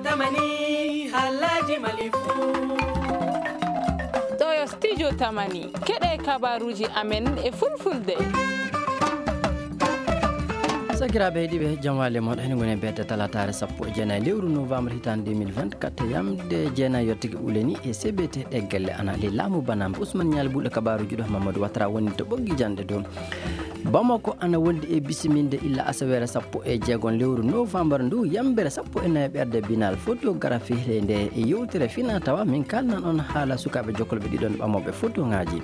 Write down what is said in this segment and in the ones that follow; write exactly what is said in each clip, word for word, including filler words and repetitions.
Tamani, haalaaji Mali fuu. Ɗoo yo Studio Tamani, keɗee kabaaruuji amen e Fulfulde. Sakiraaɓe heɗiiɓe, jam waali e moɗon. Hino ngoni e beete talaataare sappo e jeenayi lewru novembre hitaande deux mille vingt-quatre, yamde jeenayi yottake ɓuule nii e C B T ɗee gelle ana ley laamu banaama. Usman Ñaali Buuɗo kabaaruuji ɗoo, Mamadou Watara woni to ɓoggi janɗe dow. Bamako ana wondi e bisiminde illa asaweere sappo e jeegom lewru novembre ndu, yambere sappo e nayi ɓerde biennale photographie. Ley ndee yewtere finaa tawaa, min kaalnan on haala sukaaɓe jokkolɓe ɗiɗon ɓamooɓe fotoŋaaji.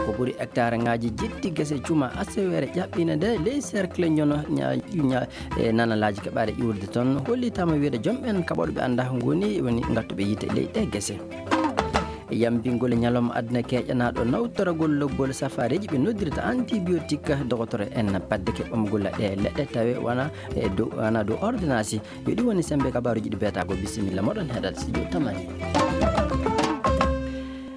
Ko ɓuri hectareŋaaji jetti gese cuma asaweere ƴaɓɓiinde nde ley cercle Ñono ña-, ña-, e nanalaaji keɓaaɗe ƴuurde toon. Hollitaama wiyeede joom ɓeen kaɓooɗe ɓe anndaa ngoni, woni ngattuɓe yiite ley ɗee gese. Yambingol e ñalawma aduna keeƴanaaɗo nawtoragol lobbol safaareeji ɓe noddirta antibiotique, dogotoro en paddike ɓamgol ɗee leɗɗe tawe wona e dow, wona dow ordonnance. Yo ɗi woni semmbe kabaaruuji ɗi beetago. Bisimilla moɗon heɗal Studio Tamani.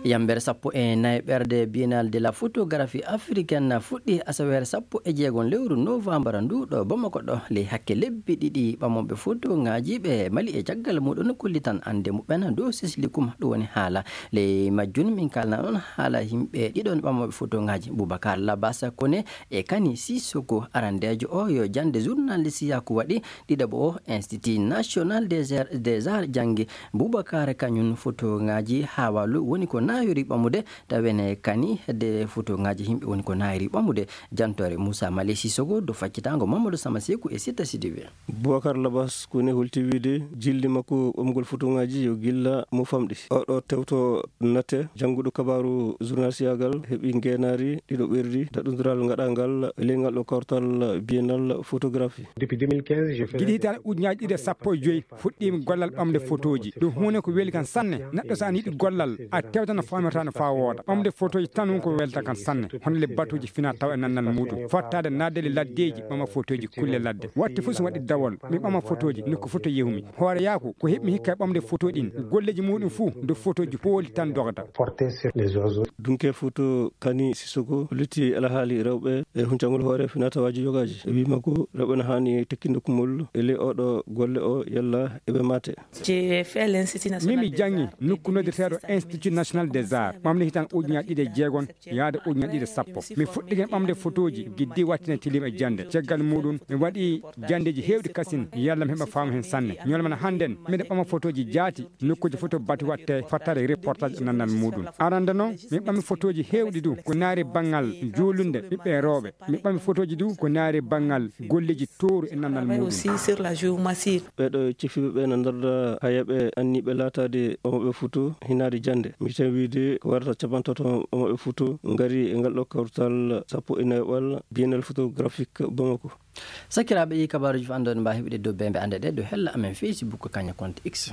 Yambere sappo e nayi ɓerde Biennale de la Photographie Africaine fuɗɗi asaweere sappo e jeegom lewru novembre ndu ɗo Bamako ɗo. Ley hakke lebbi ɗiɗi ɓamooɓe fotoŋaaji ɓe Mali e caggal muɗum kollitan annde muɓɓen dow Sesli Kuma. Ɗum woni haala ley majjum min kaalna on haala yimɓe ɗiɗon ɓamooɓe fotoŋaaji, Boubacar Labas Kone e Kani Sissoko. Arandeejo o yo jannde journaliste yaku waɗi. Ɗiɗaɓo o, Institut National des Arts, des Arts janngi Boubacar kañum fotoŋaaji haa walu woni ko naayori ɓamude, tawi ene Kani hedde fotoŋaaji yimɓe woni ko naayori ɓamude. Jantoore Moussa Mali Sissoko, dow faccitaango Mamadou Sama Seku e Sita Sidibé. Boubacar Labas Kone holti wiide jilli makko ɓamgol fotoŋaaji yo gilla mo famɗi. Oɗo tewto nate jannguɗo kabaaru journaliste yaagal heɓi ngeenaari ɗiɗo ɓerdi daɗundiral ngaɗangal e ley ngal ɗo kawtal Biennale Photographie. Depuis deux mille quinze, je fais... Gila hitaande ujunaaji ɗiɗi e sappo e joy fuɗɗiimi gollal ɓamde fotooji. Ɗum huunde ko weli kan sanne. Neɗɗo so ana yiɗi gollal, a tewta no faamirta no faa wooɗa. Ɓamde fotooji tan won ko welta kan sanne. Hono le batuuji fina tawa e nannal muuɗum. Fottaade naatde le laddeeji, ɓama fotooji kulle ladde. Waɗti fof so waɗi dawol, mi ɓama fotooji, nokku fof to yehumi. Hoore yaaku, ko heɓmi hikka e ɓamde fotooji ɗin. Golleeji muuɗum fuu, nde fotooji pooli tan dogata. Porté sur les oiseaux. Dunke foto Kani Sissoko hollitii alhaali rewɓe e huncangol hoore finaa-tawaaji yogaaji. E wii makko, rewɓe no haani tekkinde kumol e ley ooɗoo golle o yalla eɓe maate. J'ai fait l'Institut National... Min mi des janngi Arts nokku noddirteeɗo Institut National des Arts, ɓamde hitaan ujunaaji ɗiɗi e jeegom yaade ujunaaji ɗiɗi e sappo. Mi fuɗɗike ɓamde fotooji giddi wattine tilim e jannde. Caggal muuɗum, mi waɗi janndeeji heewɗi kasin, yalla mi heɓa faamu heen sanne. Ñalawma hannden, miɗo ɓama fotooji jaati, nokkuuji fof to batu waɗte fattaade reportage e nannal muuɗum. Arannde noon, mi ɓami fotooji heewɗi du, ko naari banngal juulunde ɓiɓɓe rewɓe. Mi ɓami fotooji du, ko naari banngal golleeji tooru e nannal muuɗum. Aussi sur la géomatie. Ɓeeɗo cefiiɓe ɓe no ndarda hayaɓe anniiɓe laataade ɓamooɓe foto hinaade jannde. Mi tan wiide ko warata capantato ɓamooɓe foto ngari e ngal ɗo kawtal sappo e nayoɓal Biennale Photographique Bamako. Sakiraaɓe, ɗii kabaaruuji fof anndoɗen mbaawi heɓude dow beembe annde ɗe dow hella amen Facebook kañum compte X.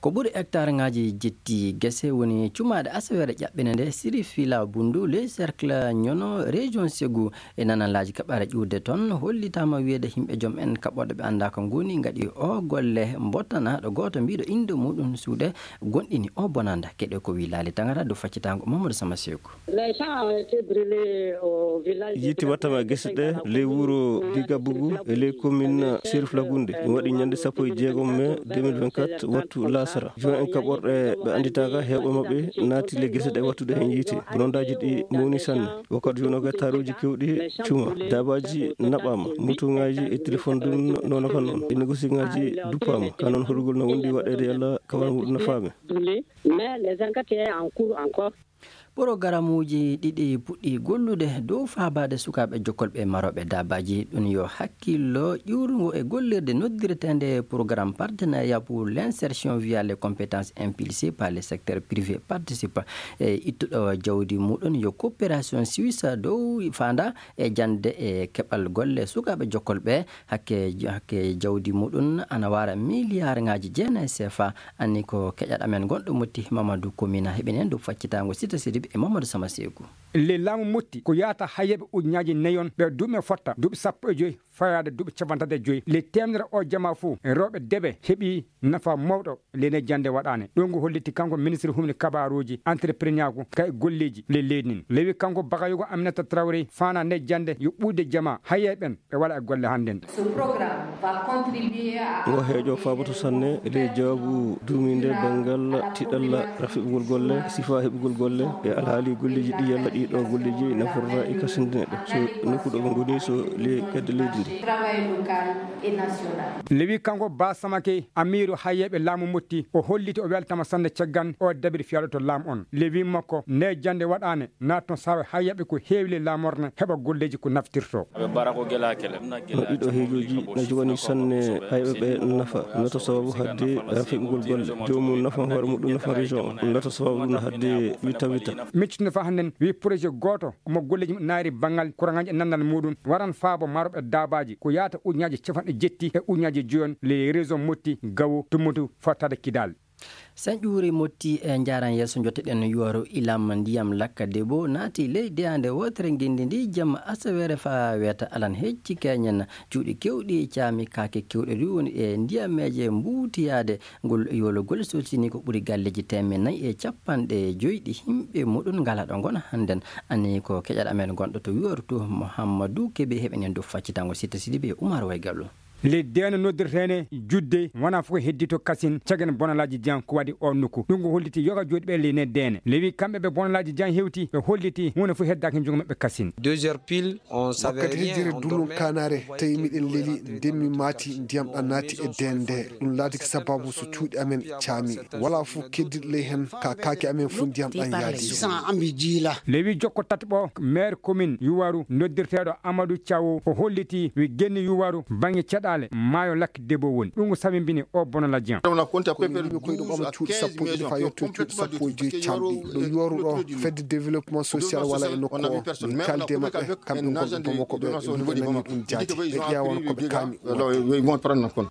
Ko ɓuri hectareŋaaji jetti gese woni cumaaɗe asaweere ƴaɓɓinde nde Sirifila Bundu, le cercle Ñono, région Ségou. E nanalaaji kaɓɓaare ƴuurde toon, hollitaama wiyeede yimɓe joom en kaɓɓooɗe ɓe anndaa ko ngoni ngaɗi o golle. Mbottanaaɗo gooto mbiiɗo innde muuɗum suuɗe gonɗini o bonanda. Keɗee ko wii Laali Tangara dow faccitaango Mamadou Sama Seeku. Les champs ont été brûlés au village de... Yiite wattaama e gese ɗe ley wuro Gigabugu e ley commune Serif Lagunde. Ɗum waɗi ñannde sappo e jeegom mai deux mille vingt-quatre, wattu laasara. Joom en kaɓorɗe ɓe annditaaka, heewɓe maɓɓe naati ley gese ɗe wattude heen yiite. Bonondaaji ɗi mawni sanne. Wakkati jooni o, hectareeji keewɗi cuma. Daabaaji naɓaama, motoŋaaji e telefoŋ dun noon kan noon. E negosiŋaaji duppaama. Kaa noon horugol no wondi waɗeede yalla kawal muuɗum no faame. Mais les enquêtes sont en cours encore. Porogaramuuji ɗiɗi puɗɗii gollude dow faabaade sukaaɓe jokkolɓe e marooɓe daabaaji. Ɗum yo hakkillo ƴuurngo e gollirde noddireteende Programme Partenariat pour l'Insertion via les Compétences Impulsé par le Secteur Privé Participe. E ittuɗo jawdi muuɗum yo Coopération Suisse dow faandaa e jannde e keɓal golle sukaaɓe jokkolɓe. Hakke, hakke jawdi muuɗum ana waara miliyaarŋaaji jeenayi C F A. Anni ko keƴal amen gonɗo Motti, Mamadou Komina, heɓini en dow faccitaango Sita Sidibé e Mamadou Sama Seeku. Ley laamu motti ko yaata hayyeeɓe ujunaaji nayon ɓe duuɓi men fotta duuɓi sappo e joy fayaade duuɓi cappanɗe tati e joy ley teemedere oo jamaa fuu rewɓe deɓe heɓii nafa mawɗo ley ne jannde waɗaane. Ɗum ngu holliti kanko ministre humni kabaaruuji entreprenaaku kay golleeji ley leydi ndin. Lewi kanko bakayugo aminata trawre faana nde jannde yo ɓuude jamaa hayyeeɓe ɓen ɓe wala e golle hannden. Ngo heejo faaboto sanne e ley jaabu duumiinde banngal tiɗalla rafiɓugol golle, sifaa heɓugol golle e alhaali golleeji ɗi yalla ɗii ɗoo golleeji naforra e kasindine ɗe so nokku ɗo ɓe ngoni so ley kedde leydi ndi. Lewi kanko baa samake amiiru hayyeeɓe laamu motti o holliti o weltama sanne caggan o dabiri fiyaaɗo to laamu on lewi makko nde jannde waɗaane naatton saawa hayyaɓe ko heewi ley laamorde heɓa golleeji ko naftirtoo. No ɗiɗo heejooji no joganii sanne hayɓe ɓe nafa, no to sababu hadde feɓugol golle joomum nafa hoore muɗum nafa région o, no to sababu ɗum hadde wita wita. Miccitino faa hannden wii projet gooto mo golleeji muɗum naayri banngal kuraŋaaji e nanndal muɗum waran faabo maroɓe daabaaji ko yaata ujunnaaji capanɗe jetti e ujunnaaji joyon ley région motti gawo tummutu fottaade kidaal. Sen ƴuuri motti e njaaran yeeso njotteɗen yuwaru ilam ndiyam lakka debo naati ley deyaande wootere ngenndi ndi jamma asaweere faa weeta alan hecci keñen cuuɗi kewɗi caami kaake kewɗe ɗi woni e ndiyameeje mbuutiyaade ngol yologol solsini ko ɓuri galleeji teemen nayi e capanɗe joyɗi himɓe muɗum ngala ɗo ngona hannden. Ani ko keƴal amen gonɗo to yuwaru to muhammadu keɓe heɓenen dow faccitango sitta sidi ɓe umar waygallo. Ley deene noddirteene judde wonaa fof ko heddii to kasin cagen bonalaaji jan ko waɗi oo nokku ɗum ko holliti yoga jooɗiiɓe ley ne deene lewi kamɓe ɓe bonalaaji jan hewti ɓe holliti huunde fof heddaaki njogo maɓɓe kasin. Wakkati hijjire dullum kaanaare tawi miɗen leli ndemmi maati ndiyam ɗan naati e deende ɗum laatiki sababu so cuuɗi amen caami walaa fof keddiiɗo ley heen ka kaake amen fof ndiyam ɗan yaadi. Lewi jokko tataɓo maire commune yuwaru noddirteeɗo amadou thiawo o holliti wi genni yuwaru bannge caɗaale maayo lakki debo woni ɗum ko sabibini o bono ladian. Cuuɗi sappo e joyi camɗi ɗo yuwaru ɗo fedde développement social wala e nokku o min kaldi e maɓɓe kamɓe gonɓe bamako ɓe nani ɗum jaati ɓe ƴeewan ko ɓe kaami.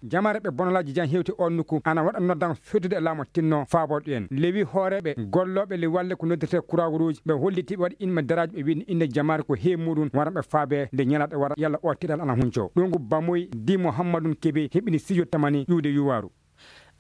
Jamaare ɓe bonolaaji jan hewti on nokku ana waɗa noddan feddude e laamu tinno faabooɗo en lewi hooreeɓe gollooɓe le walle ko noddirtee kuraawruuji ɓe holliti ɓe waɗi inma daraaji ɓe wini innde jamaare ko heewi muɗum wara ɓe faabee nde ñalaaɗe wara yalla oo tiɗal ana huncoo ɗum ko bamoy di muhammadun kebe heɓini sijo tamani ƴuwde yuwaaru.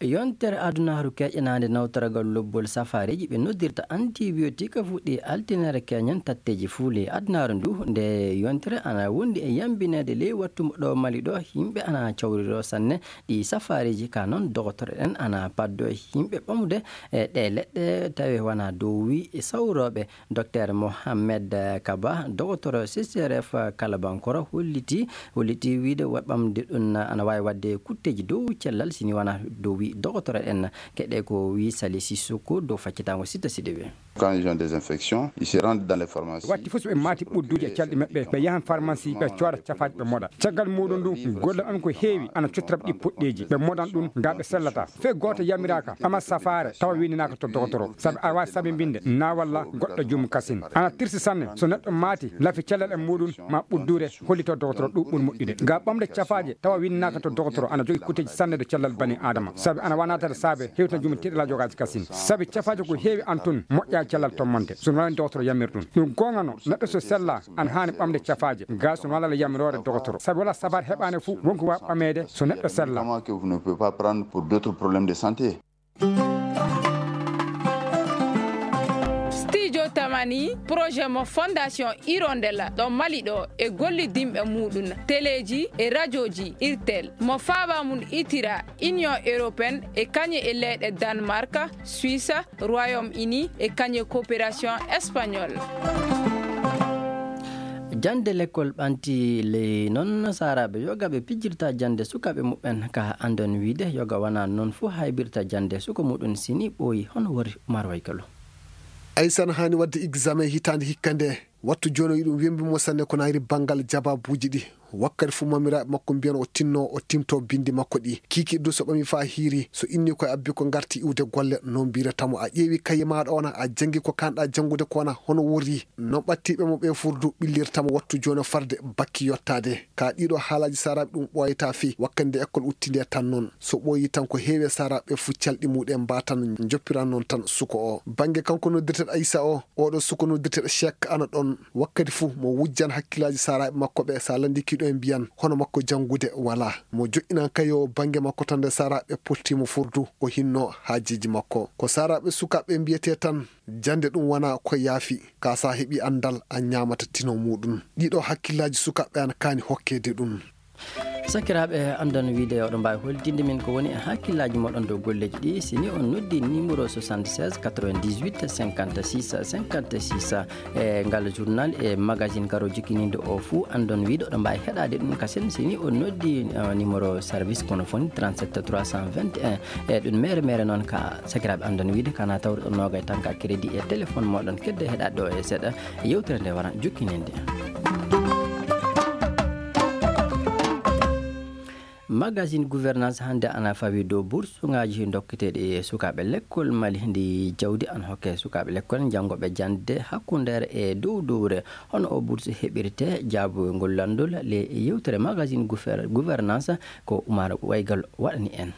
Yontere adunaaru keƴanaande nawtoragal lobbol safaariiji ɓe noddirta antibiotique fuɗɗi altinere keñen tatteeji fuule adunaaru ndu nde yontere ana wondi e yambineede ley wattu ɗo mali ɗo yimɓe ana cawriroo sanne. Ɗi safaariiji ka noon dogotoro ɗen ana paddo yimɓe ɓamude e ɗe leɗɗe tawi wona dow wi sawrooɓe. Dokteer mohammed kaba dogotoro ccrf kalabankoro holliti holliti wiide ɓamde ɗum ana waawi waɗde kutteeji dow cellal sini wona dow wi dogotoro ɗen. Keɗe ko wi sali sissoko dow faccitaango sitta siɗewe. Quand ils ont des infections, ils se rendent dans les pharmacies. Watti fof so ɓe maati ɓudduuji e calɗi maɓɓe ɓe yahan pharmacie ɓe cooda cafaaji ɓe moɗa caggal muɗum ɗum golle on ko heewi ana cottora ɓe ɗi poɗɗeeji ɓe moɗan ɗum nga ɓe sellata. Fey gooto yamiraaka ɓama safaare tawa winndinaaka to dogotoro sabi aɗa waawi sabinbinde naawalla goɗɗo jomum kasin ana tirsi sanne so neɗɗo maati lafi cellal e muɗum ma ɓudduure hollito dogotoro ɗum ɓuri moƴƴude ngam ɓamde cafaaje tawa winndinaaka to dogotoro ana jogii kutteeji sanne to cellal bani aadama sabi ana waawi naataade saabe hewtina jomum tiiɗalaa jogaaji kasin sabi cafaaje ko heewi ana toon moƴƴaa cellal tommante so no waɗani dogotoro yamir ɗum ɗum goonga no neɗɗo so sellaa ana haani ɓamde cafaaje ga so no waɗa yamiroore dogotoro sabi wala safaare heɓaani fof wonko waawi ɓameede so neɗɗo sellaa. Comment que vous ne pouvez pas prendre pour d'autres problèmes de santé? Studio Tamani projet mo fondation hirondella ɗo mali ɗo e gollidinɓe muɗum teleeji e rajooji irtel mo faaba mum itira union européenne e kañe e leyɗe danemark, suisse, royaume uni e kañe coopération espagnole. Jannde lekkol ɓanti ley noon saaraaɓe yoga ɓe pijirta jannde sukaaɓe muɓɓen ka anndon wiide yoga wonaa noon fof haybirta jannde suka muɗum sini ɓooyi hono wori umar waykalo. Aysan haani waɗde examen hitaande hikka nde wattu jooni o yiɗum wembi mo sanne ko naayri banngal jabaabuuji ɗi. Wakkati fuu mamiraaɓe makko mbiyan o tinnoo, o timtoo binndi makko ɗii. Kiikiiɗe duu so ɓamii faa hiirii, so innii ko e abbi ko ngartii iwde golle, non mbiyretee mo a ƴeewii kaye maaɗa oo na, a janngii ko kaanɗaa janngude koo na, hono worri. Non ɓattiiɓe mo ɓee fuu duu ɓillirta mo wattu jooni o farde bakki yottaade. Kaa ɗiiɗoo haalaaji saaraaɓe ɗum ɓooyataa fey, wakkati nde ekkol udditi ndee tan non. So ɓooyii tan ko heewi e saaraaɓe ɓee fuu calɗi muuɗum en mbaatan njoppiran non tan suka oo. Bannge kanko noddirteeɗo Aysa oo, ooɗoo suka noddirteeɗo Cheikh ana ɗon. Wakkati fuu mo wujjan hakkillaaji saaraaɓe makko ɓee, so a lanndii kiiɗo en mbiyan, hono makko janngude walaa. Mo joƴƴinan kaye oo bannge makko tan nde saaraaɓe ɓee potti mo furdu, o hinnoo haajeeji makko. Ko saaraaɓe sukaaɓe ɓee mbiyetee tan, jannde ɗum wanaa ko yaafi, kaa so a heɓii anndal, a ñaamata tino muuɗum. Ɗiiɗoo hakkillaaji sukaaɓe ana kaani hokkeede ɗum. Sakiraaɓe, anndon wiide oɗon mbaawi hollitinde min ko woni e hakkillaaji mooɗon dow golleeji ɗii, si ni on noddi numéro soixante-seize quatre-vingt-dix-huit cinquante-six cinquante-six. E ngal journal e magazine garoowo jokkininde oo fuu, anndon wiide oɗon mbaawi heɗaade ɗum kasen si ni on noddi, eh, numéro service kono foni trente-sept trois cent vingt et un. E ɗum mere mere noon ka sakiraaɓe anndon wiide kana tawruɗon noogay tan ka crédit e téléphone mooɗon kedde heɗaade ɗoo e seeɗa yewtere nde wara jokkininde. Magazine gouvernance hannde ana fawi dow bursuŋaaji dokketeeɗi e sukaaɓe lekkol. Mali ndi jawdi ana hokke sukaaɓe lekkol janngooɓe jannde hakkundeere e dow dowre. Hono oo bursu heɓirtee? Jaabugol lanndol le yewtere magazine gouver-, gouvernance ko Umar Waygal waɗani en.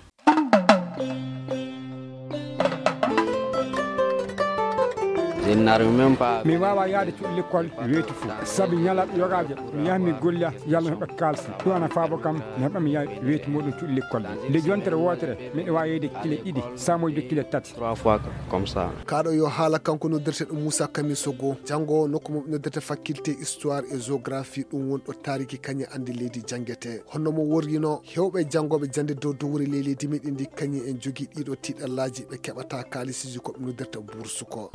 Mi waawaa yahde cuuɗi lekkol weeti fuu, sabi ñalaaɗe yogaaje mi yaha mi golla yalla mi heɓa kaalsi. Ɗum ana faabo kam mi heɓa mi yaha weeti mooɗum cuuɗi lekkol ɗi. Nde yontere wootere miɗo waawi yeyde kile ɗiɗi, saa moƴƴude kile tati. Trois fois comme ça. Kaa ɗoo yo haala kanko noddirteeɗo Muusaa Kamiso goo, janngoowo nokku mo ɓe noddirta faculté histoire et géographie, ɗum woni ɗo taariki kañum anndi leydi janngetee. Honno mo worrinoo, heewɓe janngooɓe jannde dow dowri ley leydi meɗen ndi kañum en njogii ɗiiɗoo tiiɗallaaji, ɓe keɓataa kaalisiiji ko ɓe noddirta bourse ko.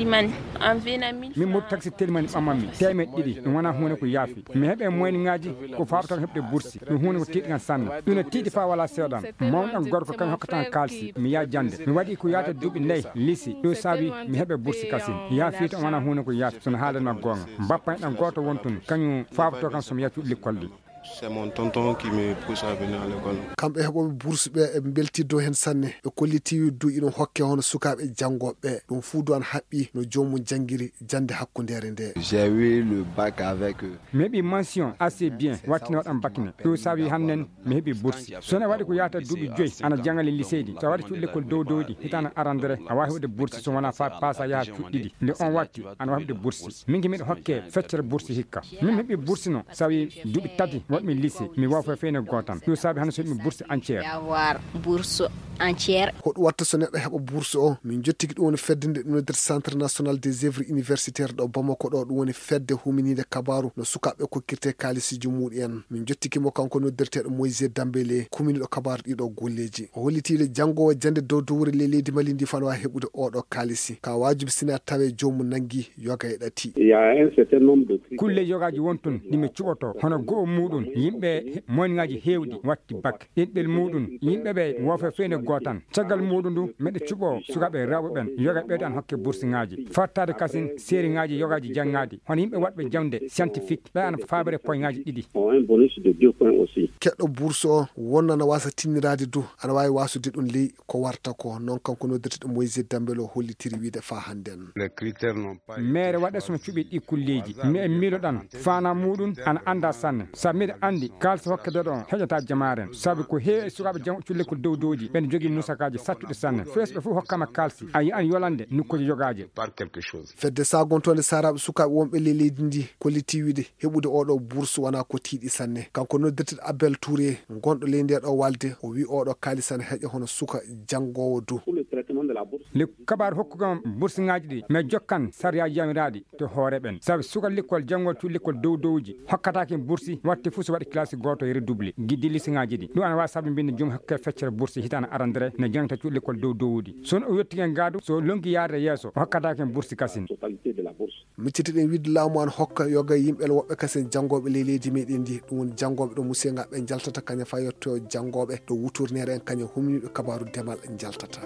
Min moɗi taksi Telimani ɓamammi teemeɗɗe ɗiɗi, ɗum wonaa huunde ko yaafi. Mi heɓe moyniŋaaji ko faabotoo heɓde bursi, ɗum huunde ko tiiɗi kan sanne. Ɗum no tiiɗi faa walaa seeɗan. Mawɗan gorko kañum hokkata kan kaalisi, mi yaha jannde. Mi waɗi ko yaata duuɓi nayi lisi, ɗum saabi mi heɓe bursi kasin. Yaafii tan wonaa huunde ko yaafi, so no haaldanmi goonga. Bappa en ɗan gooto won tun, kañum faabotoo kan so mi yaha cuuɗi lekkol ɗi. C'est mon tonton qui me pousse à venir à l'école. Kamɓe heɓooɓe bourse ɓee eɓe mbeltii dow heen sanne. Ɓe kollitii wiide duu iɗum hokkee hono sukaaɓe janngooɓe ɓee. Ɗum fuu duu ana haɓɓii no joomum janngiri jannde hakkundeere ndee. J'ai eu le bac avec, euh, Mi heɓii mention assez bien, waɗti mi waɗan bac ne. Ɗum saabii hannden mi heɓii bourse. So ne waɗi ko yaata duuɓi joy ana jannga ley lycée ɗi. So a waɗi cuuɗi lekkol dow dow ɗi, hitaande arandere, a waawi heɓude bourse so wonaa faa paasa yaha cuuɗi ɗiɗi. Nde on waɗti, ana waawi heɓude bourse. Min ki miɗo hokkee feccere bourse hikka. Min mi heɓii bourse no, sabi duuɓi tati waɗmi lycée, mi woofa feyne gootan. Ɗum saabi hannde so heɓmi bourse entière. Avoir bourse entière. Hoɗum watta so neɗɗo heɓa bourse o? Min njottiki ɗum woni fedde nde ɗum noddirta Centre National des Œuvres Universitaires ɗo Bamako ɗo, ɗum woni fedde huminiinde kabaaru no sukaaɓe kokkirtee kaalisiiji muuɗum en. Min njottiki mo kanko noddirteeɗo Moïse Dambélé, kuminiiɗo kabaaru ɗiiɗoo golleeji. O hollitii le janngoowo jannde dow dowre ley leydi Mali ndi fano waawi heɓude ooɗoo kaalisi. Ka waajibi sinaa tawee joomum nanngii yoga e ɗati. Il y a un certain nombre de critères. Kulle yogaaji won tun ɗi mi cuɓotoo, hono go'o muuɗum, yimɓe moyniŋaaji heewɗi watti bac. Ɗiɗɓel muuɗum, yimɓe ɓe woofe feyde gootan. Caggal muuɗum ndu, miɗo cuɓoo sukaaɓe rewɓe ɓen, yoga ɓeydo an hokke bursiŋaaji. Fattaade kasin seeriŋaaji yogaaji janŋaadi, hono yimɓe waɗɓe jaŋde scientifique, ɓe ana faabere poyŋaaji ɗiɗi. Ont un bonus de deux points aussi. Keɗɗo bourse o, wonno ana waasa tinniraade du, ana waawi waasude ɗum ley ko warta ko. Non kanko noddirteeɗo Moïse Dambélé o hollitiri wiide faa hannden. Les critères n'ont pas été. Meere waɗa so no cuɓi ɗi kulleeji. Mi e miiloɗan, faanaa muuɗum ana anndaa sanne. Sabi miɗo anndi kaalsi hokketeeɗo on heƴataa jamaaren. Sabi ko heewi e sukaaɓe janguɓe cuuɗi lekkol dow dowji, ɓen jogii musakaaji sattuɗi sanne. Fees ɓe fof hokkama kaalsi. A yi'an yolande nokkuuji yogaaji. Par quelque chose. Fedde saagontoonde saaraaɓe sukaaɓe wonɓe ley leydi ndi kollitii wiide heɓude ooɗoo bourse wanaa ko tiiɗi sanne. Kanko noddirteeɗo Abel Touré, gonɗo ley ndee ɗoo walde, o wi'i ooɗoo kaalisi ana heƴa hono suka janngoowo du. Pour le traitement de la bourse. Nde kabaaru hokkugol bursiŋaaji ɗi, mi jokkan sariyaaji yamiraaɗi to hoore ɓen. Sabi suka lekkol janngoowo cuuɗi lekkol dow dowji hokkataake bursi, watti fuu so waɗi kilasi gooto e redouble, giddi lisiŋaaji ɗi. Ɗum ana waawi sababinde joom hokke feccere bursi hitaande arandere no janngata cuuɗi lekkol dow dowuɗi. So o yottike ngaadu, so lonngi yaade yeeso, o hokkataake bursi kasin. Totalité de la bourse. Miccitiɗen wiide laamu ana hokka yoga yimɓe woɓɓe kasen janngooɓe ley leydi meɗen ndi. Ɗum woni janngooɓe ɗo musiyaŋaaɓe ɓe njaltata kañum faa yetto janngooɓe ɗo wuturneere en kañum humniiɓe kabaaru demal njaltata.